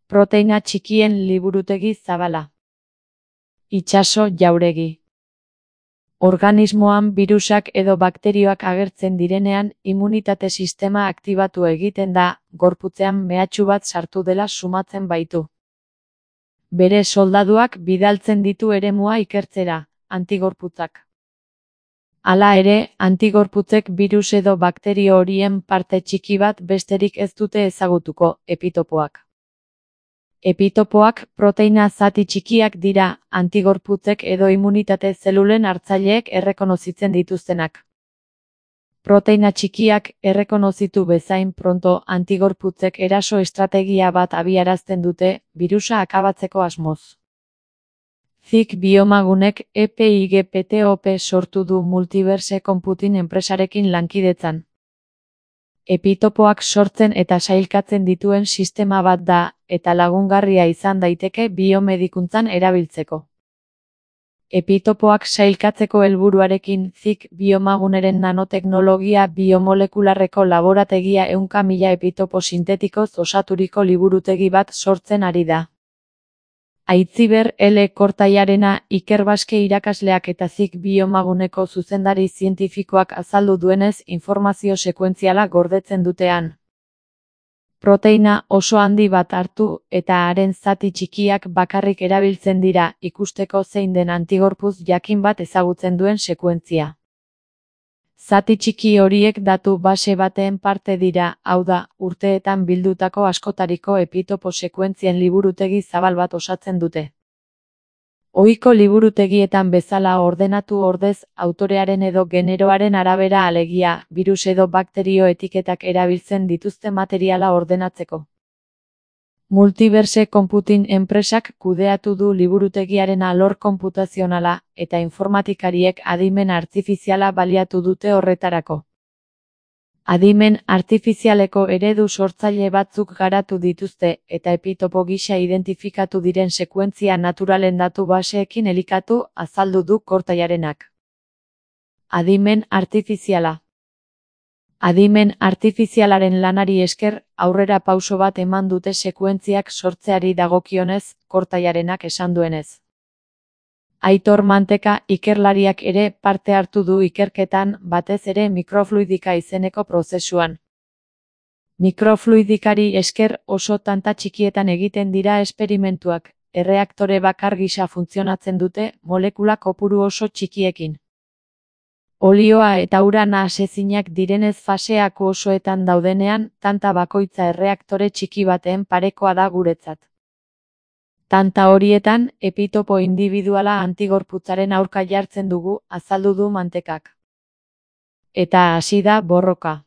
Proteina txikien liburutegi zabala. Itsaso jauregi. Organismoan birusak edo bakterioak agertzen direnean, immunitate sistema aktibatu egiten da, gorputzean mehatxu bat sartu dela sumatzen baitu. Bere soldaduak bidaltzen ditu eremua ikertzera, antigorputzak. Hala ere, antigorputzek birus edo bakterio horien parte txiki bat besterik ez dute ezagutuko, epitopoak. Epitopoak proteina zati txikiak dira, antigorputzek edo immunitate zelulen hartzaileek errekonozitzen dituztenak. Proteina txikiak errekonozitu bezain pronto antigorputzek eraso estrategia bat abiarazten dute, birusa akabatzeko asmoz. Zik Biomagunek EPIGPTOP sortu du Multiverse Computing enpresarekin lankidetzan. Epitopoak sortzen eta sailkatzen dituen sistema bat da, eta lagungarria izan daiteke biomedikuntzan erabiltzeko. Epitopoak sailkatzeko helburuarekin Zik Biomaguneren nanoteknologia biomolekularreko laborategia 100.000 epitopo sintetikoz osaturiko liburutegi bat sortzen ari da. Aitziber L. Kortaiarena Iker Baske irakasleak eta Zik Biomaguneko zuzendari zientifikoak azaldu duenez informazio sekuentziala gordetzen dutean. Proteina oso handi bat hartu eta haren zati txikiak bakarrik erabiltzen dira ikusteko zein den antigorputz jakin bat ezagutzen duen sekuentzia. Zati txiki horiek datu base baten parte dira, hau da, urteetan bildutako askotariko epitopo sekuentzien liburutegi zabal bat osatzen dute. Ohiko liburutegietan bezala ordenatu ordez, autorearen edo generoaren arabera alegia, birus edo bakterio etiketak erabiltzen dituzte materiala ordenatzeko. Multiverse Computing enpresak kudeatu du liburutegiaren alor konputazionala, eta informatikariek adimen artifiziala baliatu dute horretarako. Adimen artifizialeko eredu sortzaile batzuk garatu dituzte, eta epitopo gisa identifikatu diren sekuentzia naturalen datu baseekin elikatu, azaldu du Kortaiarenak. Adimen artifiziala. Adimen artifizialaren lanari esker, aurrera pauso bat eman dute sekuentziak sortzeari dagokionez, Kortaiarenak esan duenez. Aitor Manteka ikerlariak ere parte hartu du ikerketan, batez ere mikrofluidika izeneko prozesuan. Mikrofluidikari esker oso tanta txikietan egiten dira esperimentuak, erreaktore bakar gisa funtzionatzen dute, molekula kopuru oso txikiekin. Olioa eta ura nahasezinak direnez faseak osoetan daudenean, tanta bakoitza erreaktore txiki baten parekoa da guretzat. Tanta horietan, epitopo indibiduala antigorputzaren aurka jartzen dugu, azaldu du Mantekak. Eta hasi da borroka.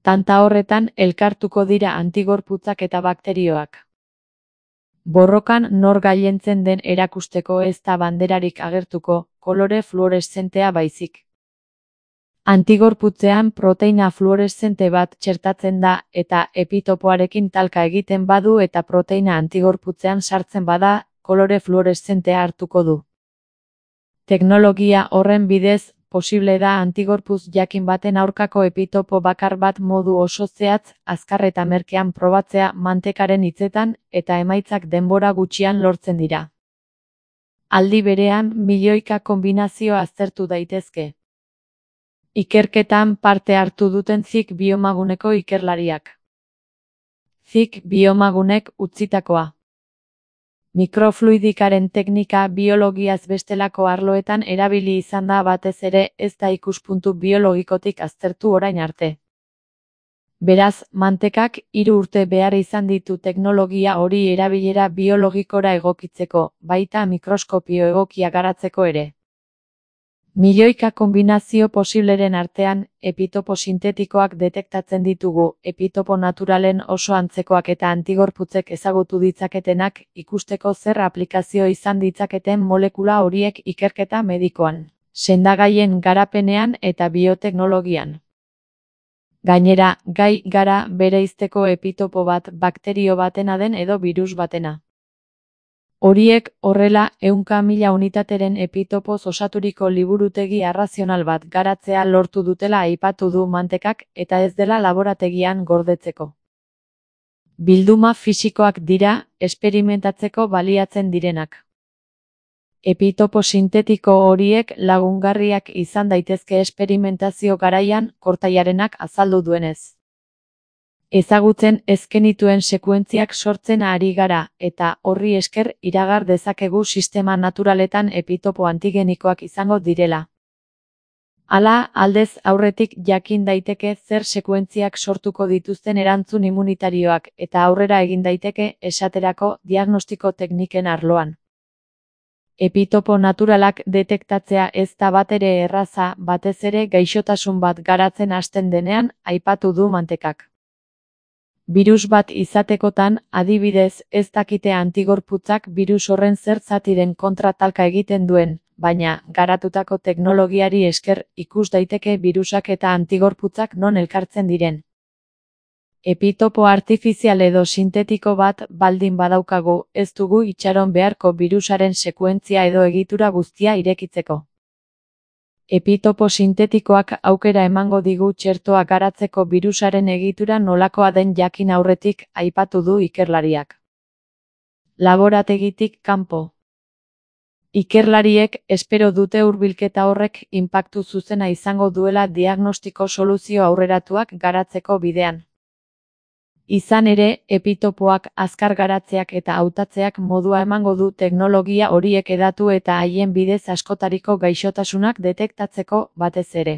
Tanta horretan elkartuko dira antigorputzak eta bakterioak. Borrokan nor gailentzen den erakusteko ez da banderarik agertuko, kolore fluoreszentea baizik. Antigorputzean proteina fluoreszente bat txertatzen da eta epitopoarekin talka egiten badu eta proteina antigorputzean sartzen bada, kolore fluoreszentea hartuko du. Teknologia horren bidez, posible da antigorputz jakin baten aurkako epitopo bakar bat modu oso zehatz, azkar eta merkean probatzea Mantekaren hitzetan, eta emaitzak denbora gutxian lortzen dira. Aldi berean, milioika kombinazio aztertu daitezke. Ikerketan parte hartu duten Zik Biomaguneko ikerlariak. Zik Biomagunek utzitakoa. Mikrofluidikaren teknika biologiaz bestelako arloetan erabili izan da batez ere ez da ikuspuntu biologikotik aztertu orain arte. Beraz, Mantekak 3 urte behar izan ditu teknologia hori erabilera biologikora egokitzeko, baita mikroskopio egokia garatzeko ere. Milioika kombinazio posibleren artean, epitopo sintetikoak detektatzen ditugu, epitopo naturalen oso antzekoak eta antigorputzek ezagutu ditzaketenak, ikusteko zer aplikazio izan ditzaketen molekula horiek ikerketa medikoan, sendagaien garapenean eta bioteknologian. Gainera, gai gara bereizteko epitopo bat bakterio batena den edo birus batena. Horiek, horrela, 100.000 unitateren epitopoz osaturiko liburutegi arrazional bat garatzea lortu dutela aipatu du Mantekak eta ez dela laborategian gordetzeko. Bilduma fisikoak dira, esperimentatzeko baliatzen direnak. Epitopo sintetiko horiek lagungarriak izan daitezke esperimentazio garaian, Kortaiarenak azaldu duenez. Ezagutzen ez genituen sekuentziak sortzen ari gara, eta horri esker iragar dezakegu sistema naturaletan epitopo antigenikoak izango direla. Hala, aldez aurretik jakin daiteke zer sekuentziak sortuko dituzten erantzun immunitarioak, eta aurrera egin daiteke, esaterako, diagnostiko tekniken arloan. Epitopo naturalak detektatzea ez da batere erraza, batez ere gaixotasun bat garatzen hasten denean, aipatu du Mantekak. Birus bat izatekotan, adibidez, ez dakite antigorputzak birus horren zer zatiren kontra talka egiten duen, baina, garatutako teknologiari esker, ikus daiteke birusak eta antigorputzak non elkartzen diren. Epitopo artifizial edo sintetiko bat baldin badaukagu, ez dugu itxaron beharko birusaren sekuentzia edo egitura guztia irekitzeko. Epitopo sintetikoak aukera emango digu txertoa garatzeko birusaren egitura nolakoa den jakin aurretik, aipatu du ikerlariak. Laborategitik kanpo. Ikerlariek espero dute hurbilketa horrek inpaktu zuzena izango duela diagnostiko soluzio aurreratuak garatzeko bidean. Izan ere, epitopoak azkar garatzeak eta hautatzeak modua emango du teknologia horiek hedatu eta haien bidez askotariko gaixotasunak detektatzeko, batez ere.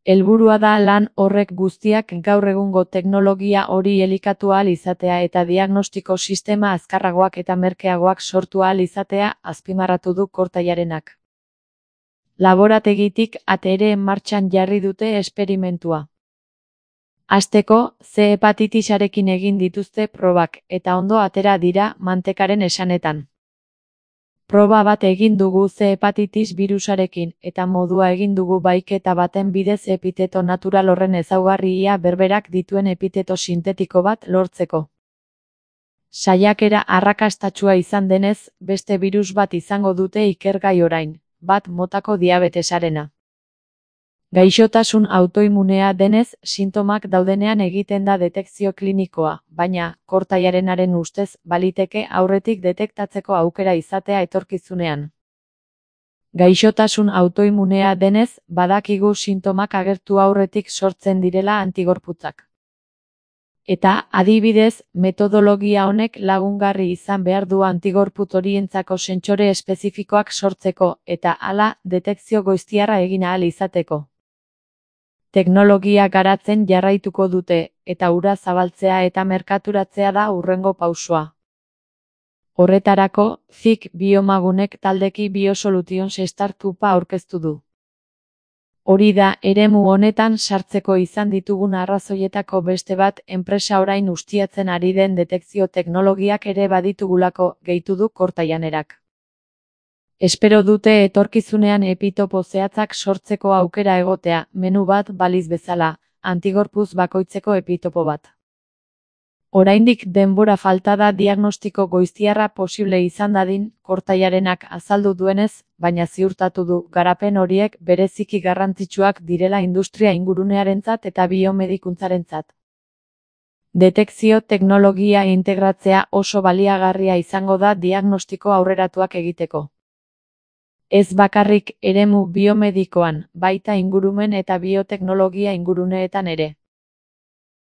Helburua da lan horrek guztiak gaur egungo teknologia hori elikatu ahal izatea eta diagnostiko sistema azkarragoak eta merkeagoak sortu ahal izatea, azpimarratu du Kortaiarenak. Laborategitik ere martxan jarri dute esperimentua. Hasteko, C hepatitisarekin egin dituzte probak, eta ondo atera dira, Mantekaren esanetan. Proba bat egin dugu C hepatitis birusarekin, eta modua egin dugu baiketa baten bidez epiteto natural horren ezaugarria berberak dituen epiteto sintetiko bat lortzeko. Saiakera arrakastatsua izan denez, beste birus bat izango dute ikergai orain, bat motako diabetesarena. Gaixotasun autoimunea denez, sintomak daudenean egiten da detekzio klinikoa, baina, Kortaiarenaren ustez, baliteke aurretik detektatzeko aukera izatea etorkizunean. Gaixotasun autoimunea denez, badakigu sintomak agertu aurretik sortzen direla antigorputzak. Eta, adibidez, metodologia honek lagungarri izan behar du antigorputz horientzako sentsore espezifikoak sortzeko, eta hala, detekzio goiztiarra egin ahal izateko. Teknologia garatzen jarraituko dute, eta hura zabaltzea eta merkaturatzea da hurrengo pausua. Horretarako, FIC Biomagunek taldeki Biosolutions startupa aurkeztu du. Hori da, eremu honetan sartzeko izan ditugun arrazoietako beste bat, enpresa orain ustiatzen ari den detekzio teknologiak ere baditugulako, gehitu du Kortaianerak. Espero dute etorkizunean epitopo zehatzak sortzeko aukera egotea, menu bat baliz bezala, antigorputz bakoitzeko epitopo bat. Oraindik denbora falta da diagnostiko goiztiarra posible izan dadin, Kortaiarenak azaldu duenez, baina ziurtatu du garapen horiek bereziki garrantzitsuak direla industria ingurunearentzat eta biomedikuntzarentzat. Detekzio teknologia integratzea oso baliagarria izango da diagnostiko aurreratuak egiteko. Ez bakarrik eremu biomedikoan, baita ingurumen eta bioteknologia inguruneetan ere.